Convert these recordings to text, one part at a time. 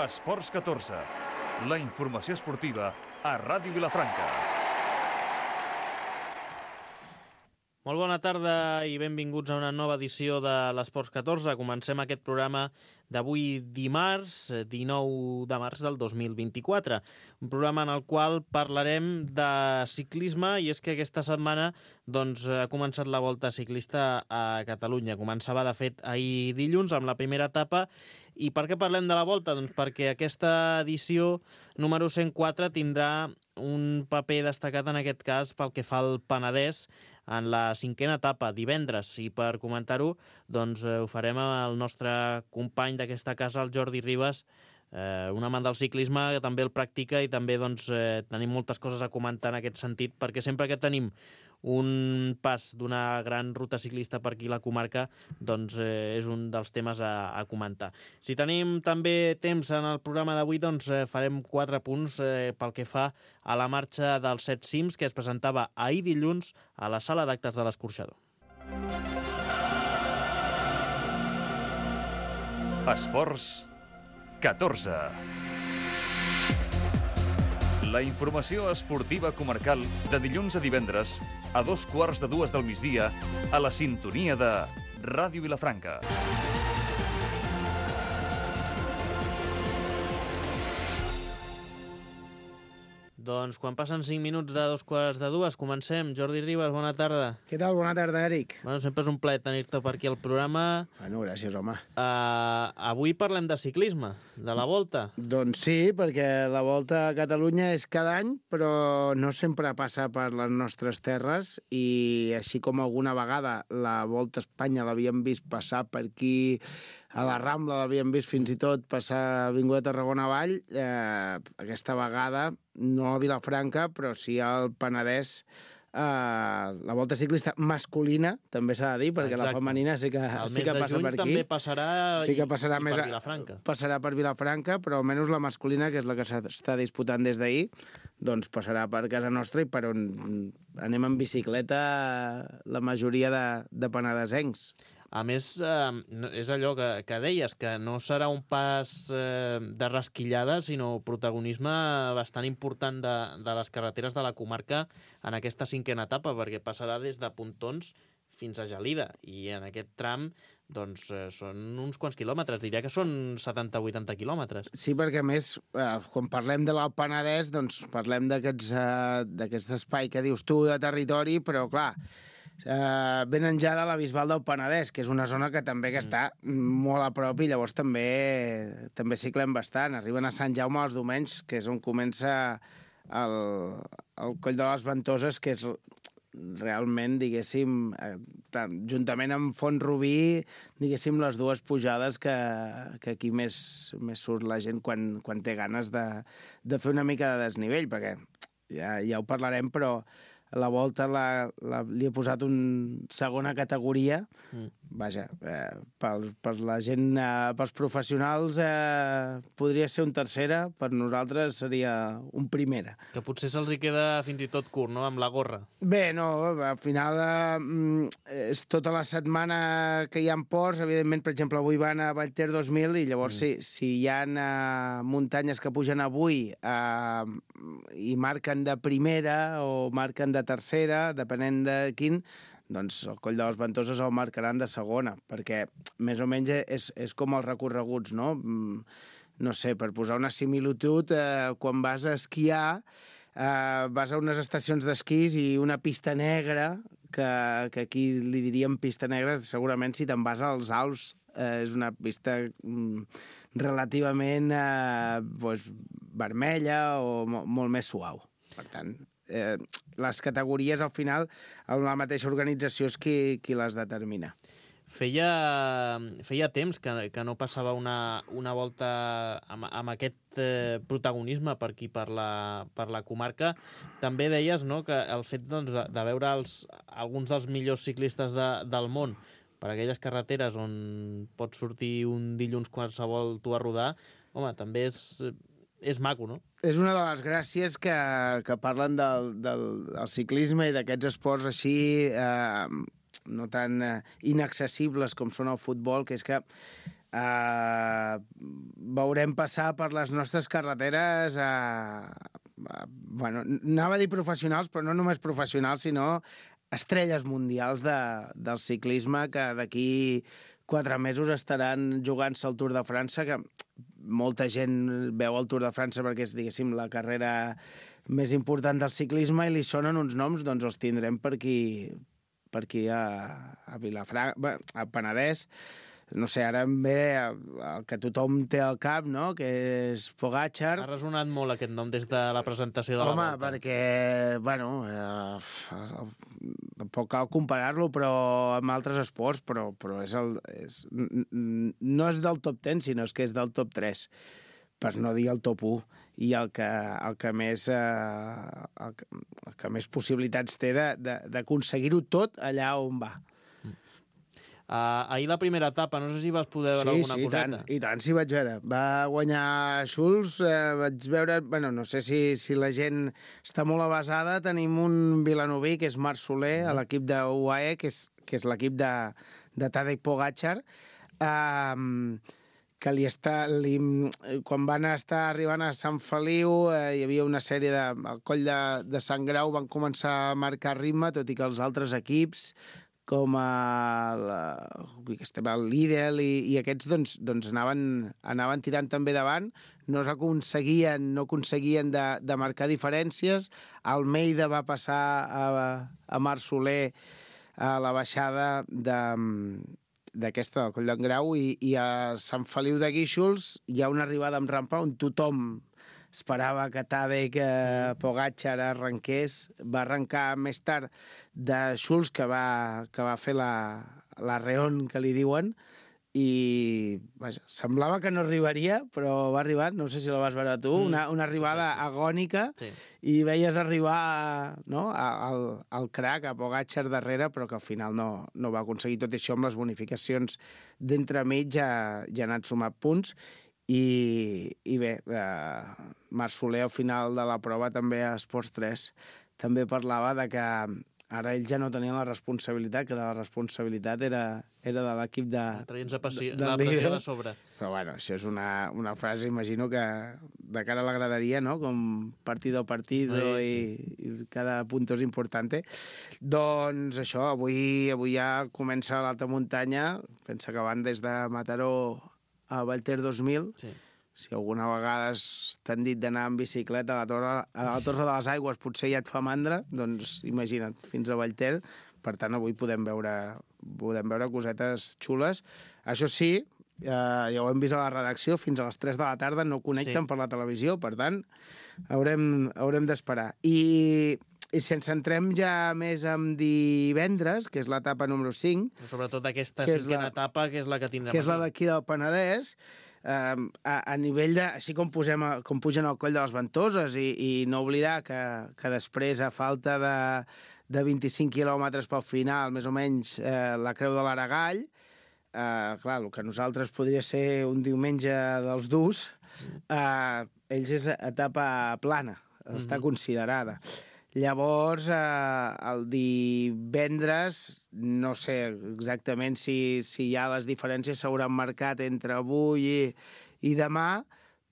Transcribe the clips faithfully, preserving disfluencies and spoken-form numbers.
Esports catorze, la informació esportiva a Ràdio Vilafranca. Molt bona tarda i benvinguts a una nova edició de l'Esports catorze. Comencem aquest programa d'avui dimarts, dinou de març del dos mil vint-i-quatre. Un programa en el qual parlarem de ciclisme i és que aquesta setmana doncs, ha començat la Volta Ciclista a Catalunya. Començava, de fet, ahir dilluns amb la primera etapa. I per què parlem de la Volta? Doncs perquè aquesta edició número cent quatre tindrà un paper destacat en aquest cas pel que fa al Penedès en la cinquena etapa, divendres. I per comentar-ho, doncs ho farem amb el nostre company d'aquesta casa, el Jordi Ribas, eh, un amant del ciclisme, que també el practica i també doncs, eh, tenim moltes coses a comentar en aquest sentit, perquè sempre que tenim un pas d'una gran ruta ciclista per aquí a la comarca, doncs eh, és un dels temes a, a comentar. Si tenim també temps en el programa d'avui, doncs eh, farem quatre punts eh, pel que fa a la marxa dels set cims que es presentava ahir dilluns a la sala d'actes de l'Escorxador. Esports catorze. La informació esportiva comarcal de dilluns a divendres a dos quarts de dues del migdia a la sintonia de Ràdio Vilafranca. Doncs quan passen cinc minuts de dos quarts de dues, comencem. Jordi Ribas, bona tarda. Què tal? Bona tarda, Eric. Bueno, sempre és un plaer tenir-te per aquí al programa. Bueno, gràcies, home. Uh, avui parlem de ciclisme, de la Volta. Doncs sí, perquè la Volta a Catalunya és cada any, però no sempre passa per les nostres terres i així com alguna vegada la Volta a Espanya l'havíem vist passar per aquí, a la Rambla l'havíem vist fins i tot passar Avinguda Tarragona avall, eh, aquesta vegada no a Vilafranca, però sí al Penedès, eh, la Volta Ciclista masculina, també s'ha de dir, perquè Exacte. La femenina sí que, sí que passa per aquí. també passarà, sí que passarà i, més i per a, Vilafranca. Passarà per Vilafranca, però almenys la masculina, que és la que s'està disputant des d'ahir, doncs passarà per casa nostra i per on anem en bicicleta la majoria de, de penedesencs. A més, eh, és allò que, que deies, que no serà un pas eh, de rasquillada, sinó protagonisme bastant important de, de les carreteres de la comarca en aquesta cinquena etapa, perquè passarà des de Pontons fins a Gelida, i en aquest tram doncs, eh, són uns quants quilòmetres, diria que són setanta a vuitanta quilòmetres. Sí, perquè a més, eh, quan parlem de l'Alt Penedès, doncs parlem d'aquests, eh, d'aquest espai que dius tu de territori, però clar, Uh, venen ja de la Bisbal del Penedès, que és una zona que també que està molt a prop i llavors també també ciclem bastant. Arriben a Sant Jaume els diumenys, que és on comença el, el Coll de les Ventoses, que és realment, diguéssim, eh, tant, juntament amb Font Rubí, diguéssim, les dues pujades que, que aquí més, més surt la gent quan, quan té ganes de, de fer una mica de desnivell, perquè ja, ja ho parlarem, però la Volta la, la, li he posat un segona categoria, mm. vaja, eh, per, per la gent, eh, pels professionals eh, podria ser un tercera, per nosaltres seria un primera. Que potser se'ls hi queda fins i tot curt, no?, amb la gorra. Bé, no, al final eh, és tota la setmana que hi ha ports, evidentment, per exemple, avui van a Vallter dos mil i llavors mm. si, si hi ha eh, muntanyes que pugen avui eh, i marquen de primera o marquen de tercera, depenent de quin, doncs el Coll de les Ventoses el marcaran de segona, perquè més o menys és, és com els recorreguts, no? No sé, per posar una similitud, eh, quan vas a esquiar, eh, vas a unes estacions d'esquís i una pista negra, que, que aquí li diríem pista negra, segurament si te'n vas als Alps, eh, és una pista mm, relativament eh, doncs, vermella o mo molt més suau. Per tant, eh, les categories al final la mateixa organització és qui, qui les determina. Feia, feia temps que, que no passava una, una volta amb, amb aquest eh, protagonisme per aquí, per la, per la comarca. També deies, no?, que el fet doncs, de, de veure els, alguns dels millors ciclistes de, del món per aquelles carreteres on pots sortir un dilluns qualsevol tu a rodar, home, també és, és maco, no? És una de les gràcies que, que parlen del, del, del ciclisme i d'aquests esports així eh, no tan eh, inaccessibles com són el futbol, que és que Uh, veurem passar per les nostres carreteres uh, uh, bueno, anava a dir professionals, però no només professionals, sinó estrelles mundials de, del ciclisme que d'aquí quatre mesos estaran jugant-se el Tour de França, que molta gent veu el Tour de França perquè és, diguéssim, la carrera més important del ciclisme i li sonen uns noms, doncs els tindrem per aquí, per aquí a, a Vilafranca, a Penedès. No sé, ara em ve el que tothom té al cap, no?, que és Pogačar. Ha resonat molt aquest nom des de la presentació de Home, la Volta. Home, perquè, bueno, eh, tampoc cal comparar-lo però amb altres esports, però, però és el, és, no és del top deu, sinó és que és del top tres, per no dir el top u, i el que, el que, més, eh, el que, el que més possibilitats té d'aconseguir-ho tot allà on va. Uh, ahir la primera etapa, no sé si vas poder veure sí, alguna sí, coseta. Sí, i tant, sí vaig veure. Va guanyar Schulz, eh, vaig veure... Bueno, no sé si, si la gent està molt avasada. Tenim un vilanoví, que és Marc Soler, mm. a l'equip de U A E, que és, que és l'equip de, de Tadej Pogačar, eh, que li està... Li, quan van estar arribant a Sant Feliu, eh, hi havia una sèrie de... Al coll de, de Sant Grau van començar a marcar ritme, tot i que els altres equips com el, el Lidl i, i aquests doncs, doncs anaven, anaven tirant també davant, no aconseguien, no aconseguien de, de marcar diferències. Almeida va passar a, a Marc Soler a la baixada de, d'aquesta, del Coll d'en Grau, i, i a Sant Feliu de Guíxols hi ha una arribada amb rampa on tothom esperava que Tadej eh, Pogačar arrenqués. Va arrencar més tard de Schulz, que va, que va fer la, la reon, que li diuen, i vaja, semblava que no arribaria, però va arribar, no sé si la vas veure tu, mm. una, una arribada sí, sí. agònica, sí. I veies arribar, no?, al, al crack, a Pogačar darrere, però que al final no, no va aconseguir. Tot això amb les bonificacions d'entremig ja, ja han sumat punts. I, i bé, eh, Marc Soler al final de la prova també a Esports tres també parlava de que ara ells ja no tenien la responsabilitat, que la responsabilitat era, era de l'equip de... Traient la pressió de sobre. Però bueno, això és una, una frase, imagino que de cara a la graderia, no?, com partido a partido sí. i, i cada punto és importante. Doncs això, avui, avui ja comença l'alta muntanya, pensa que van des de Mataró a Valter dos mil, sí. Si alguna vegada t'han dit d'anar en bicicleta a la, torre, a la Torre de les Aigües potser ja et fa mandra, doncs imagina't, fins a Valter. Per tant, avui podem veure, podem veure cosetes xules. Això sí, eh, ja ho hem vist a la redacció, fins a les tres de la tarda no connecten sí. per la televisió, per tant, haurem, haurem d'esperar. I... I si ens centrem ja més en divendres, que és l'etapa número cinc... Sobretot aquesta cinquena la, etapa, que és la que tindrem Que és la d'aquí del Penedès, eh, a, a nivell de... Així com, posem, com pugen al coll de les Ventoses, i, i no oblidar que, que després, a falta de, de vint-i-cinc quilòmetres pel final, més o menys, eh, la Creu de l'Aragall, eh, clar, el que nosaltres podria ser un diumenge dels durs, eh, ells és etapa plana, està mm-hmm. considerada. Llavors, eh, el divendres, no sé exactament si, si ja les diferències s'hauran marcat entre avui i, i demà,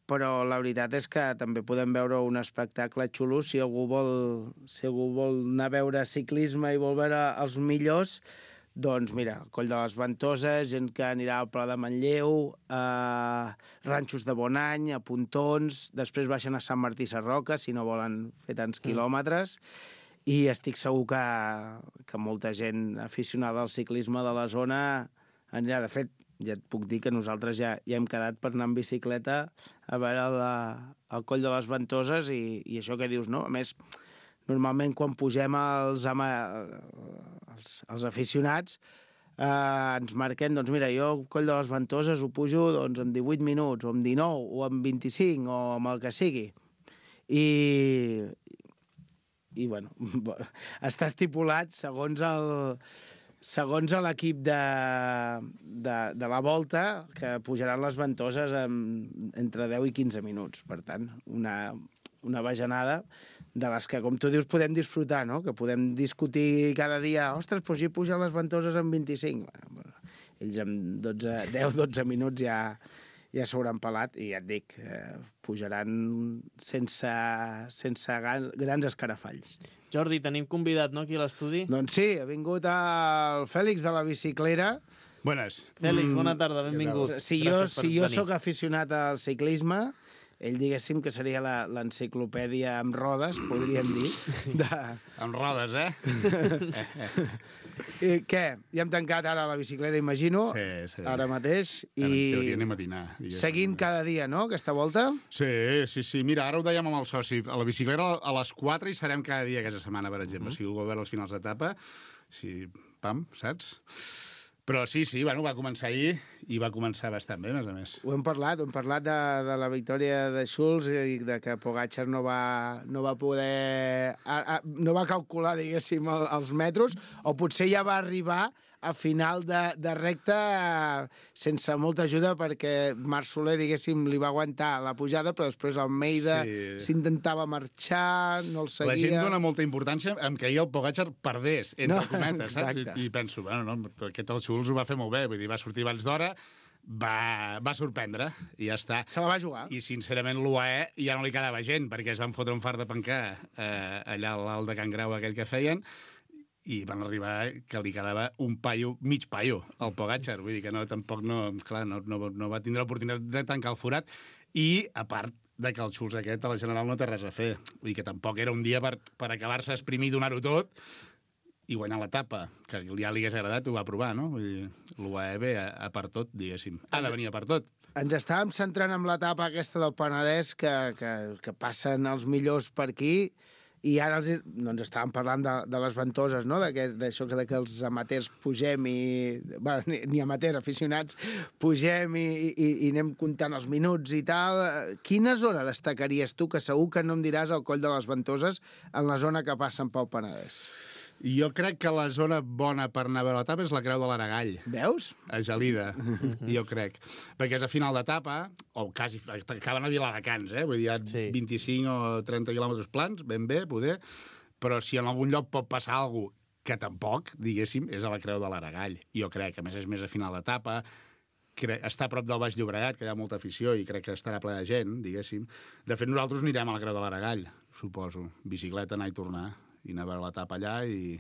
però la veritat és que també podem veure un espectacle xulo si algú vol, si algú vol anar a veure ciclisme i vol veure els millors. Doncs mira, Coll de les Ventoses, gent que anirà al Pla de Manlleu, a Ranxos de Bonany, a Pontons, després baixen a Sant Martí Sarroca, si no volen fer tants quilòmetres, i estic segur que, que molta gent aficionada al ciclisme de la zona anirà. De fet, ja et puc dir que nosaltres ja, ja hem quedat per anar en bicicleta a veure la, el Coll de les Ventoses, i, i això que dius, no? A més, normalment quan pugem els, ama, els, els aficionats eh, ens marquem, doncs mira, jo el Coll de les Ventoses ho pujo doncs, en divuit minuts, o en dinou, o en vint-i-cinc, o amb el que sigui. I, i bueno, està estipulat segons el segons l'equip de, de, de la Volta, que pujaran les Ventoses en, entre deu i quinze minuts. Per tant, una, una bajanada de les que, com tu dius, podem disfrutar, no? Que podem discutir cada dia, ostres, però si pugen les Ventoses en vint-i-cinc. Bueno, ells en dotze, deu dotze minuts ja, ja s'hauran pelat i ja et dic, eh, pujaran sense, sense grans escarafalls. Jordi, tenim convidat, no?, aquí a l'estudi? Doncs sí, ha vingut el Fèlix de la biciclera. Buenas. Fèlix, bona tarda, benvingut. Si jo, si jo sóc aficionat al ciclisme, ell, diguéssim, que seria l'enciclopèdia amb rodes, podríem dir. De... Amb rodes, eh? I què? Ja hem tancat ara la bicicleta, imagino, sí, sí. ara mateix. I... En teoria I anem a dinar. seguint cada dia, no?, aquesta volta. Sí, sí, sí. Mira, ara ho dèiem amb el soci. A la bicicleta a les quatre hi serem cada dia aquesta setmana, per exemple. Uh -huh. Si algú vol veure els finals d'etapa, si... pam, saps? Però sí, sí, bueno, va començar ahir i va començar bastant bé, a més a més. Ho hem parlat, ho hem parlat de, de la victòria de Schulz i de que Pogačar no va, no va poder... A, a, no va calcular, diguéssim, el, els metros, o potser ja va arribar a final de, de recta sense molta ajuda perquè Marc Soler, diguéssim, li va aguantar la pujada, però després Almeida s'intentava sí. marxar, no el seguia... La gent dona molta importància en que ahir el Pogačar perdés, entre no, cometes, saps? I, I penso, bueno, no, aquest el Schulz ho va fer molt bé, vull dir, va sortir abans d'hora, va, va sorprendre, i ja està. Se la va jugar. I, sincerament, l'U A E ja no li quedava gent, perquè es van fotre un far de pencar eh, allà a l'alt de Can Grau, aquell que feien, i van arribar que li quedava un paio, mig paio, al Pogačar. Vull dir que no, tampoc no, clar, no, no, no va tindre l'oportunitat de tancar el forat. I, a part de que el Schulz aquest, a la general, no té res a fer. Vull dir que tampoc era un dia per, per acabar-se exprimir i donar-ho tot i guanyar l'etapa, que ja li hagués agradat, ho va provar, no? Vull dir, l'U A E ve a, a per tot, diguéssim. Ha de venir a per tot. Ens estàvem centrant en l'etapa aquesta del Penedès, que, que, que passen els millors per aquí, i ara els, no, ens estàvem parlant de, de les ventoses, no?, d'això que, que els amateurs pugem i... Bueno, ni, ni amateurs, aficionats, pugem i, i, i anem comptant els minuts i tal. Quina zona destacaries tu, que segur que no em diràs el Coll de les Ventoses, en la zona que passen pel Penedès? Jo crec que la zona bona per anar a veure l'etapa és la Creu de l'Aragall. Veus? A Gelida, jo crec. Perquè és a final d'etapa, o quasi, acaben a Viladecans, eh? Vull dir, hi ha sí. vint-i-cinc o trenta quilòmetres plans, ben bé, poder, però si en algun lloc pot passar alguna cosa que tampoc, diguéssim, és a la Creu de l'Aragall. Jo crec que, a més, és més a final d'etapa, està a prop del Baix Llobregat, que hi ha molta afició, i crec que estarà ple de gent, diguéssim. De fet, nosaltres anirem a la Creu de l'Aragall, suposo. Bicicleta, anar i tornar. I anar a veure l'etapa allà i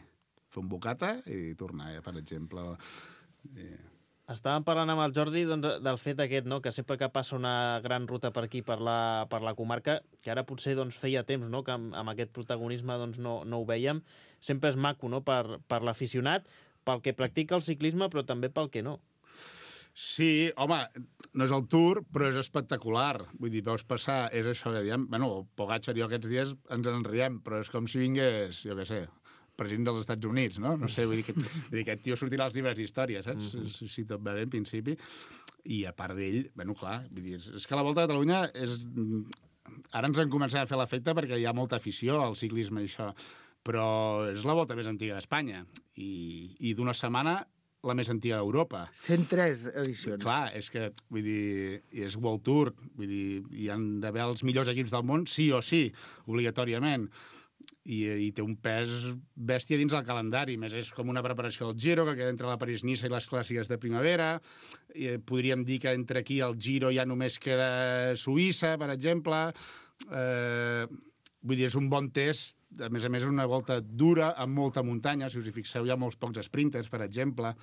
fer un bocata i tornar, per exemple. I... Estàvem parlant amb el Jordi doncs, del fet aquest, no?, que sempre que passa una gran ruta per aquí, per la, per la comarca, que ara potser doncs, feia temps, no?, que amb, amb aquest protagonisme doncs, no, no ho vèiem, sempre és maco, no?, per, per l'aficionat, pel que practica el ciclisme, però també pel que no. Sí, home, no és el Tour, però és espectacular. Vull dir, veus passar, és això que diem... Bueno, el Pogačar i jo aquests dies ens en riem, però és com si vingués, jo què sé, president dels Estats Units, no? No sé, vull dir que, vull dir, aquest tio sortirà als llibres d'història, saps? Mm -hmm. si, si tot va bé, en principi. I a part d'ell, bueno, clar, vull dir, és, és que la Volta a Catalunya és... Ara ens han començat a fer l'efecte perquè hi ha molta afició al ciclisme i això, però és la volta més antiga d'Espanya. I, i d'una setmana la més antiga d'Europa. cent tres edicions. Clar, és que, vull dir, és World Tour, vull dir, hi han d'haver els millors equips del món, sí o sí, obligatòriament. I, i té un pes bèstia dins el calendari. Més és com una preparació del Giro, que queda entre la París-Niça i les clàssiques de primavera. I podríem dir que entre aquí el Giro ja només queda Suïssa, per exemple. Eh, vull dir, és un bon test. A més a més, és una volta dura, amb molta muntanya. Si us hi fixeu, hi ha molts pocs sprinters, per exemple.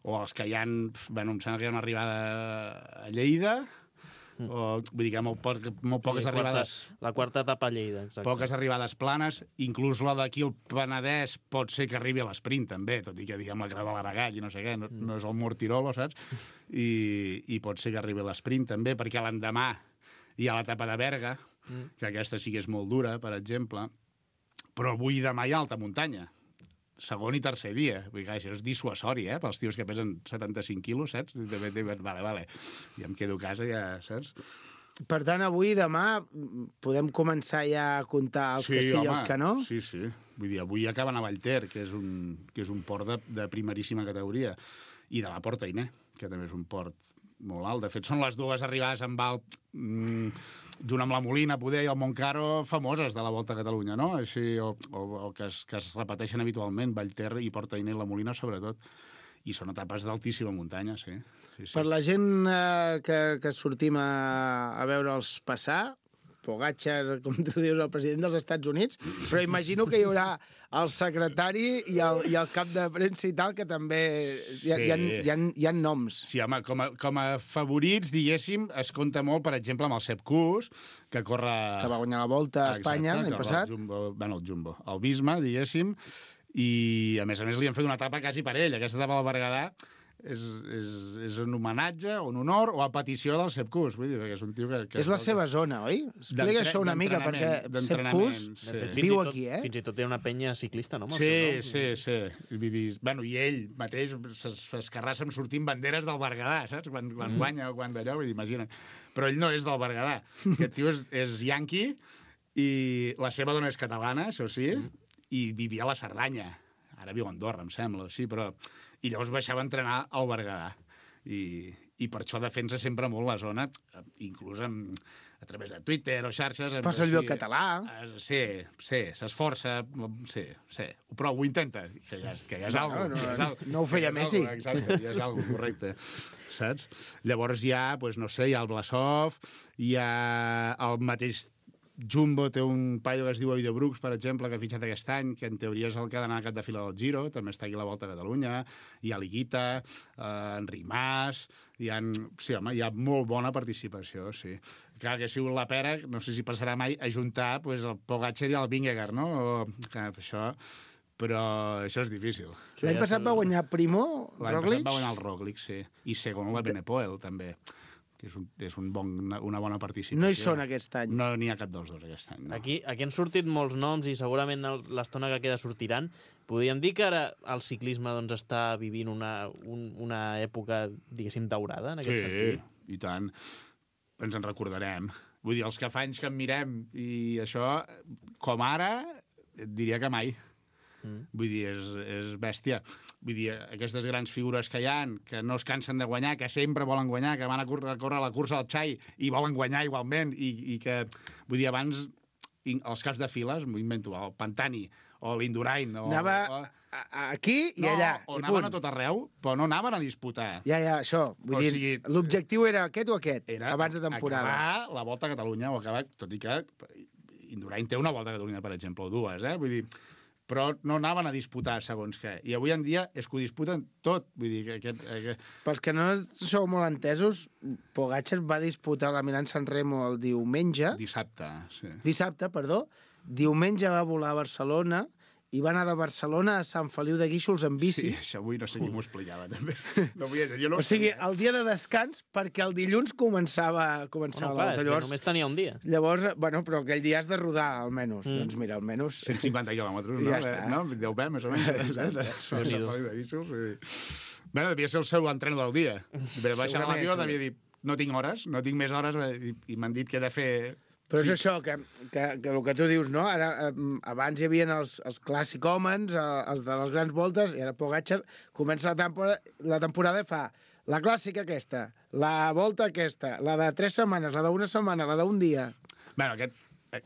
O els que hi ha... Bueno, em sembla que hi ha una arribada a Lleida... O, vull dir que molt, poc, molt poques sí, arribades... Quarta, la quarta etapa a Lleida, exacte. Poques arribades planes, inclús la d'aquí al Penedès pot ser que arribi a l'esprint, també, tot i que diguem la Creu de l'Aragall i no sé què, no, no és el Mortirolo, saps? I, I pot ser que arribi a l'esprint, també, perquè l'endemà hi ha l'etapa de Berga, que aquesta sí que és molt dura, per exemple, però avui i demà hi ha alta muntanya. Segon i tercer dia. Vull dir, això és dissuasori, eh? Pels tios que pesen setanta-cinc quilos, saps? Vale, vale. Ja em quedo a casa, ja, saps? Per tant, avui i demà podem començar ja a comptar els sí, que sí home, i els que no? Sí, sí. Vull dir, avui acaben a Vallter, que és un, que és un port de, de primeríssima categoria. I demà Port Ainé, que també és un port molt alt. De fet, són les dues arribades amb alt... Mmm, junt amb la Molina, poder, i el Montcaro, famoses de la Volta a Catalunya, no? Així, o, o, o que, es, que es repeteixen habitualment, Vallter i Port Ainé i la Molina, sobretot. i són etapes d'altíssima muntanya, sí. sí, sí. Per la gent eh, que, que sortim a, a veure'ls passar, Pogačar, com tu dius, el president dels Estats Units, però imagino que hi haurà el secretari i el, i el cap de premsa i tal, que també hi ha, Sí. hi ha, hi ha, hi ha noms. Sí, home, com a, com a favorits, diguéssim, es compta molt, per exemple, amb el Sepp Kuss, que corre... Que va guanyar la Volta a Espanya l'any passat. El Jumbo, bueno, el Jumbo, el Visma, diguéssim, i a més a més li han fet una etapa quasi per ell. Aquesta etapa del Berguedà és, és, és un homenatge, un honor, o a petició del Sepp Kuss. Vull dir, que és un tio que... que És la seva zona, oi? Explica això una mica, perquè Sepp Kuss sí. De fet, viu fins i tot, aquí, eh? Fins i tot té una penya ciclista, no? Amb el Sí, seu nom. sí, sí. Vull dir, bueno, i ell mateix s'escarrassa amb sortint banderes del Berguedà, saps? Quan, quan mm. guanya o quan d'allò, vull dir, imagina't. Però ell no és del Berguedà. Aquest tio és, és yanqui i la seva dona és catalana, això sí, mm. i vivia a la Cerdanya. Ara viu a Andorra, em sembla, sí, però... I llavors baixava a entrenar al Berguedà. I, i per això defensa sempre molt la zona, inclús amb, a través de Twitter o xarxes. Fa servir el català. Eh, Sí, sí, s'esforça, sí, sí, però ho intenta, que ja, que ja és No, algo. no, ja és algo, no ho feia ja és Messi. algo, exacte, ja és algo, correcte. Saps? Llavors hi ha, doncs, no sé, hi ha el Blasov, hi ha el mateix Jumbo, té un paio que es diu Oide Brooks, per exemple, que ha fitxat aquest any, que en teoria és el que ha d'anar a cap de fila del Giro, també està aquí a la Volta a Catalunya, hi ha l'Higuita, eh, Enric Mas, hi ha, sí, home, hi ha molt bona participació, sí. Clar, que ha sigut la pera, no sé si passarà mai, ajuntar pues, el Pogačar i el Vingegaard, no? O, que això... Però això és difícil. L'any passat va guanyar Primo, L'any Roglic. passat va guanyar el Roglic, sí. I segon la Benepoel, també. Que és, un, és un bon, una, una bona participació. No hi són aquest any. No n'hi ha cap dels dos aquest any. No. Aquí, aquí han sortit molts noms i segurament el- l'estona que queda sortiran. Podríem dir que ara el ciclisme doncs, està vivint una, un, una època, diguéssim, daurada, en aquest Sí, sentit. i tant. Ens en recordarem. Vull dir, els que fa anys que en mirem i això, com ara, et diria que mai. Mm. Vull dir, és, és bèstia. Vull dir, aquestes grans figures que hi ha, que no es cansen de guanyar, que sempre volen guanyar, que van a córrer, a córrer la cursa al Xai i volen guanyar igualment, i, i que, vull dir, abans, els caps de files, m'ho invento, el Pantani, o l'Indurain, o... Anava o... a- a- aquí i no, allà, o i anaven punt. a tot arreu, però no anaven a disputar. Ja, ja, això. Vull O dir, sigui, l'objectiu era aquest o aquest, Era abans de temporada. acabar la Volta a Catalunya, o acabar, tot i que Indurain té una Volta a Catalunya, per exemple, o dues, eh? Vull dir, però no anaven a disputar segons què. I avui en dia és que ho disputen tot. Vull dir, que aquest... aquest... Pels que no sou molt entesos, Pogačar va disputar la Milán-San Remo el diumenge, Dissabte, sí. dissabte, perdó, diumenge va volar a Barcelona i va anar de Barcelona a Sant Feliu de Guíxols en bici. Sí, això avui no sé qui m'ho explicava, també. No vull dir, jo no O sigui, sabia. el dia de descans, perquè el dilluns començava, començava Bueno, clar, la és volta. que Llavors, només tenia un dia. llavors, bueno, però aquell dia has de rodar, almenys. Mm. Doncs mira, almenys... cent cinquanta quilòmetres, I no? ja està. No? Deu bé, més o menys. Exacte. Sant Feliu de Guíxols, sí. Bueno, devia ser el seu entreno del dia. Va baixar a Segurament, l'avió, sí. devia dir, no tinc hores, no tinc més hores, i, i m'han dit que he de fer... Però és això, que, que, que el que tu dius, no? Ara, eh, abans hi havia els, els clàssic homes, eh, els de les grans voltes, i ara Pogačar comença la temporada, la temporada i fa la clàssica aquesta, la volta aquesta, la de tres setmanes, la d'una setmana, la d'un dia. Bueno, aquest,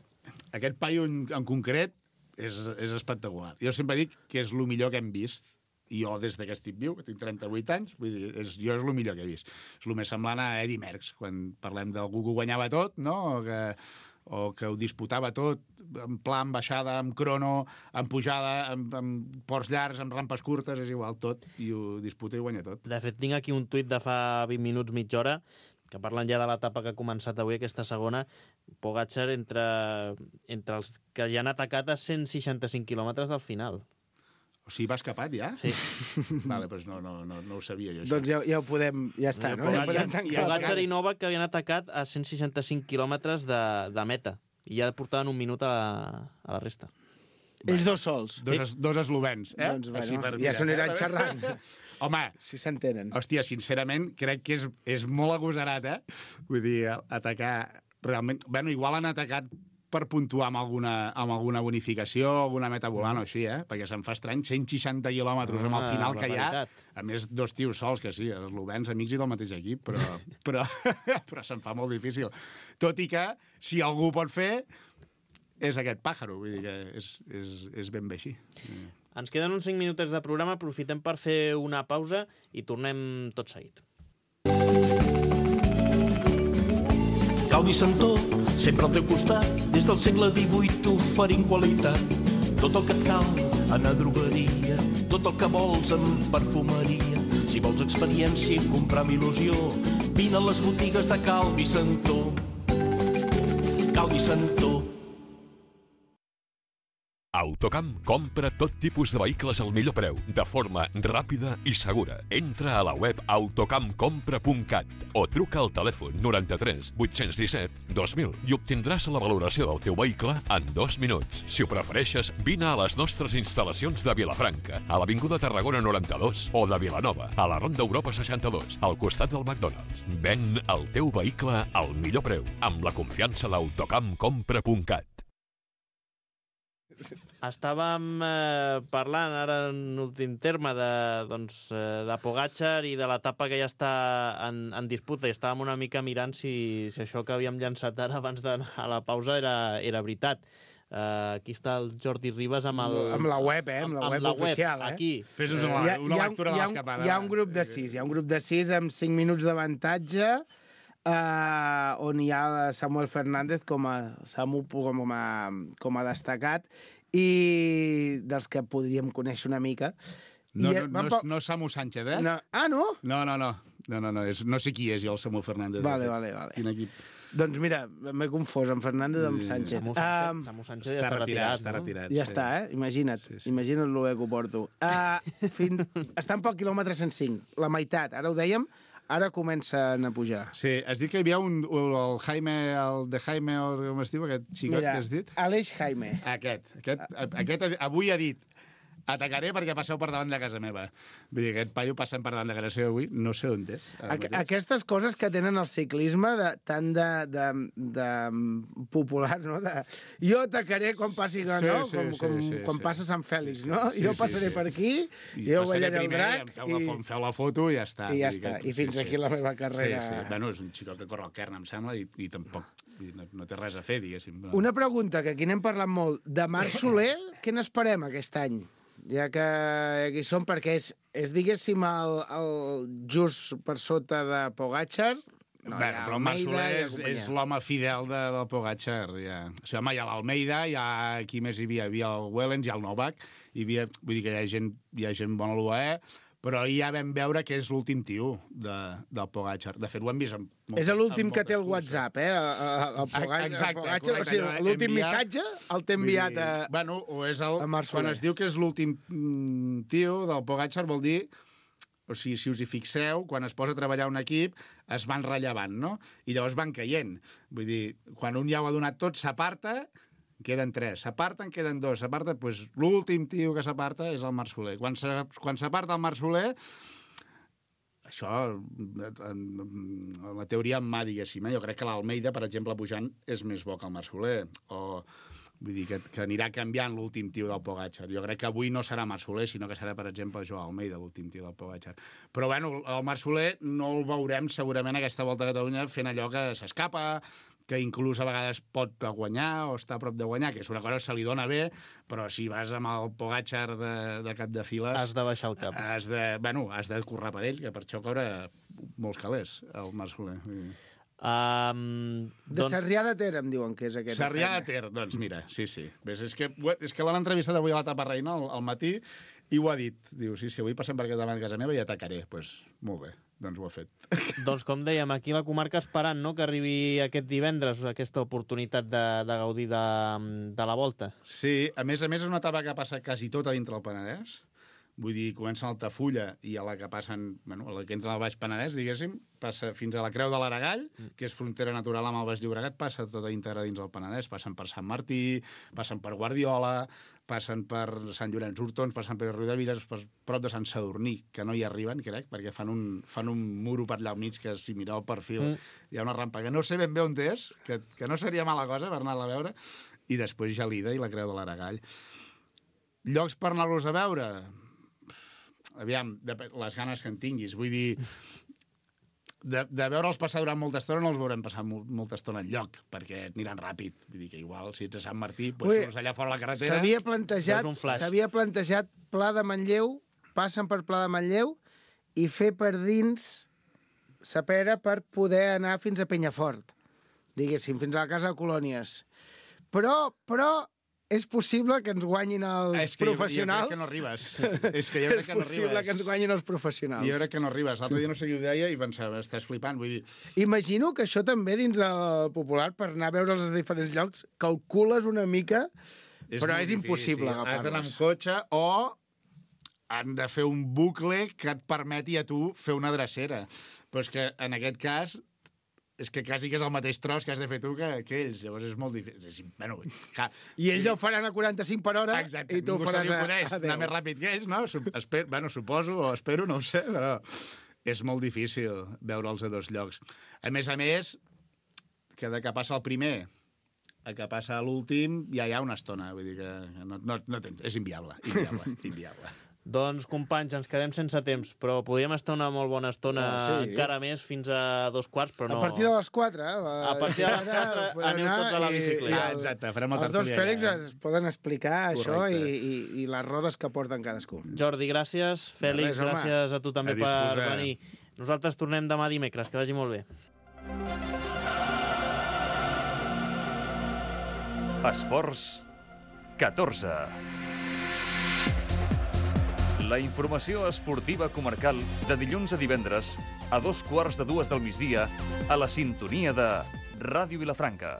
aquest paio en, en concret és, és espectacular. Jo sempre dic que és el millor que hem vist. I jo, des que estic viu, que tinc trenta-vuit anys, vull dir, és, jo és el millor que he vist. És el més semblant a Eddy Merckx, quan parlem d'algú que ho guanyava tot, no? O que, o que ho disputava tot, en pla, en baixada, en crono, en pujada, en, en ports llargs, en rampes curtes, és igual, tot, i ho disputa i ho guanya tot. De fet, tinc aquí un tuit de fa vint minuts, mitja hora, que parlen ja de l'etapa que ha començat avui, aquesta segona, Pogačar entre, entre els que ja han atacat a cent seixanta-cinc quilòmetres del final. O sigui, va escapat ja? Sí. Vale, doncs no, no, no, no ho sabia jo, això. Doncs ja, ja ho podem... Ja està, no? Ja Pogačar, podem tancar. Pogačar i Novak que havien atacat a cent seixanta-cinc quilòmetres de, de meta. I ja portaven un minut a la, a la resta. Ells dos sols. Dos, es, dos eslovens, eh? Doncs, bueno, Així per ja mirar, s'ho aniran eh? xerrant. Home, Si s'entenen. hòstia, sincerament, crec que és, és molt agosarat, eh? Vull dir, atacar... Realment... Bueno, igual han atacat per puntuar amb alguna, amb alguna bonificació, alguna meta volant o així, eh? Perquè se'm fa estrany, cent seixanta quilòmetres amb el Ah, final que hi ha. barbaritat. A més, dos tios sols, que sí, els eslovens, amics i del mateix equip, però, però, però se'm fa molt difícil. Tot i que, si algú pot fer, és aquest pàjaro, vull dir que és, és, és ben bé així. Ens queden uns cinc minutets de programa, aprofitem per fer una pausa i tornem tot seguit. Calvi Santó, sempre al teu costat, des del segle divuit oferint qualitat. Tot el que et cal en a drogueria, tot el que vols en perfumeria. Si vols experiència i comprar amb il·lusió, vine a les botigues de Calvi Santó. Calvi Santó. Autocamp compra tot tipus de vehicles al millor preu, de forma ràpida i segura. Entra a la web autocamp compra punt cat o truca al telèfon noranta-tres vuit-cents disset dos mil i obtindràs la valoració del teu vehicle en dos minuts. Si ho prefereixes, vine a les nostres instal·lacions de Vilafranca, a l'Avinguda Tarragona noranta-dos o de Vilanova, a la Ronda Europa seixanta-dos, al costat del McDonald's. Ven el teu vehicle al millor preu, amb la confiança d'autocamp compra punt cat. Estàvem eh, parlant ara en últim terme de, doncs, eh, de Pogačar i de l'etapa que ja està en, en disputa, i estàvem una mica mirant si, si això que havíem llançat ara abans d'anar a la pausa era, era veritat. Uh, aquí està el Jordi Ribas amb el... Amb la web, eh? Amb la amb, web amb la oficial, web, eh? aquí. Fes-nos una, Hi ha- una hi ha- lectura hi de ha- l'escapada. Hi ha un grup de sis, hi ha un grup de sis amb cinc minuts d'avantatge, eh, on hi ha Samuel Fernández com a, Samu com a, com a destacat, i dels que podríem conèixer una mica. No, I, no, no, és, no és Samu Sánchez, eh? no, ah, no? No, no, no. No, no, no, és, no sé qui és jo, el Samuel Fernández. Vale, vale, vale. Quin equip? Doncs mira, m'he confós amb Fernández amb Sánchez. Samu Sánchez, Um, Samu Sánchez ja Està està retirat, retirat, està no? retirat. Ja està, eh? Imagina't. Sí, sí. Imagina't el bé que ho porto. Uh, fins... Estan pel quilòmetre cent cinc, la meitat. Ara ho dèiem, ara comencen a pujar. Sí, has dit que hi havia un, el Jaime, el de Jaime, o com es diu, aquest xicot Mira, que has dit? Aleix Jaime. Aquest, aquest, aquest avui ha dit atacaré perquè passeu per davant de casa meva. Vull dir, aquest paio passant per davant de casa seva avui, no sé on és. Aqu Aquestes coses que tenen el ciclisme de, tant de, de, de popular, no? De, jo atacaré quan passi, no? Sí, sí, com sí, com sí, quan sí. passa Sant Fèlix, no? Sí, jo sí, passaré sí. per aquí, I jo passaré ballaré el primer, drac em feu, i, la, em feu la foto i ja està. i ja Vull dir està. que- I fins sí, aquí sí. la meva carrera. Sí, sí. Bueno, és un xicot que corre al Kern, em sembla, i, i tampoc vull dir, no, no té res a fer, diguéssim. Una pregunta, que aquí n'hem parlat molt. De Marc Soler, què n'esperem aquest any? Ja que aquí som, perquè és, és diguéssim, el, el just per sota de Pogačar. No, bueno, però el Marc Soler és, és l'home fidel de, del Pogačar. Ja. O sigui, home, hi ha l'Almeida, hi ha qui més hi havia? Hi havia el Wellens, hi ha el Novak, hi havia, vull dir que hi ha gent, hi ha gent bona a l'U A E, però ja vam veure que és l'últim tio de, del Pogačar. De fet, ho hem vist amb moltes, És l'últim que té el curses. WhatsApp, eh? El, el Pogačar, Exacte, el Pogačar, o correcte, sigui, allò l'últim enviar- missatge el té enviat a... Vull dir, Bueno, o és el... a Marc Quan Soler. es diu que és l'últim mm, tio del Pogačar, vol dir... O sigui, si us hi fixeu, quan es posa a treballar un equip, es van rellevant, no? I llavors van caient. Vull dir, quan un ja ho ha donat tot, s'aparta, queden tres. S'aparten, queden dos. S'aparta, doncs l'últim tio que s'aparta és el Marc Soler. Quan s'aparta el Marc Soler, això, la teoria en mà, diguéssim, eh? Jo crec que l'Almeida, per exemple, pujant, és més bo que el Marc Soler. O, vull dir, que, que anirà canviant l'últim tio del Pogačar. Jo crec que avui no serà Marc Soler, sinó que serà, per exemple, Joan Almeida, l'últim tio del Pogačar. Però, bueno, el Marc Soler no el veurem segurament aquesta volta a Catalunya fent allò que s'escapa, que inclús a vegades pot guanyar o està a prop de guanyar, que és una cosa que se li dona bé, però si vas amb el Pogačar de, de cap de files... Has de baixar el cap. Has de, bueno, has de currar per ell, que per això cobra molts calés, el Marc Soler. Um, De doncs... Sarrià de Ter, em diuen que és aquest. Sarrià de Ter, doncs mira, sí, sí. Ves, és que, és que l'han entrevistat avui a l'etapa reina, al, al matí, i ho ha dit. Diu, sí, sí, avui passem per davant de casa meva i atacaré. Doncs pues, molt bé, doncs ho ha fet. Doncs com dèiem, aquí la comarca esperant, no?, que arribi aquest divendres aquesta oportunitat de, de gaudir de, de la volta. Sí, a més a més és una etapa que passa quasi tota dintre del Penedès. Vull dir, comencen a Altafulla i a la que passen, bueno, a la que entra al Baix Penedès, diguéssim, passa fins a la Creu de l'Aragall, que és frontera natural amb el Baix Llobregat, passa tota íntegra dins del Penedès, passen per Sant Martí, passen per Guardiola, passen per Sant Llorenç d'Hortons, passen per Riudevilles, per prop de Sant Sadurní, que no hi arriben, crec, perquè fan un, fan un muro per allà al mig que, si mireu el perfil, mm. hi ha una rampa que no sé ben bé on és, que, que no seria mala cosa per anar-la a veure, i després Gelida i la Creu de l'Aragall. Llocs per anar-los a veure... Aviam, les ganes que en tinguis. Vull dir, de, de veure'ls passar durant molta estona no els veurem passar mo molta estona enlloc, perquè aniran ràpid. Vull dir que igual, si ets a Sant Martí, doncs surts allà fora a la carretera... S'havia plantejat, s'havia plantejat Pla de Manlleu, passen per Pla de Manlleu i fer per dins sa pera per poder anar fins a Penyafort, diguéssim, fins a la Casa de Colònies. Però, però, és possible que ens guanyin els és que professionals. Jo, jo crec que no arribes. És que jo crec que no arribes. És possible que ens guanyin els professionals. Jo crec que no arribes. L'altre dia no sé qui ho deia i pensava, estàs flipant, vull dir... Imagino que això també dins del Popular, per anar a veure els diferents llocs, calcules una mica, és però és impossible agafar-los. Has d'anar amb cotxe o han de fer un bucle que et permeti a tu fer una drecera. Però és que en aquest cas... és que quasi que és el mateix tros que has de fer tu que, que ells. Llavors és molt difícil. És, bueno, que... I ells el faran a quaranta-cinc per hora. Exacte. I tu ho faràs a, a deu. Anar més ràpid que ells, no? Esper... Bueno, suposo, o espero, no ho sé, però és molt difícil veure'ls a dos llocs. A més a més, que de que passa el primer a que passa l'últim ja hi ha una estona. Vull dir que no, no, no tens... és inviable. Inviable, inviable. Doncs, companys, ens quedem sense temps, però podríem estar una molt bona estona oh, sí. encara més fins a dos quarts, però no... A partir de les quatre, eh? A partir de les quatre aneu tots a la bicicleta. Ah, exacte, farem el Els dos Fèlix ja. es poden explicar Correcte. Això i, i, i les rodes que porten cadascú. Jordi, gràcies. Fèlix, res, gràcies a tu també a per venir. Nosaltres tornem demà dimecres, que vagi molt bé. Esports catorze. La informació esportiva comarcal de dilluns a divendres a dos quarts de dues del migdia a la sintonia de Ràdio Vilafranca.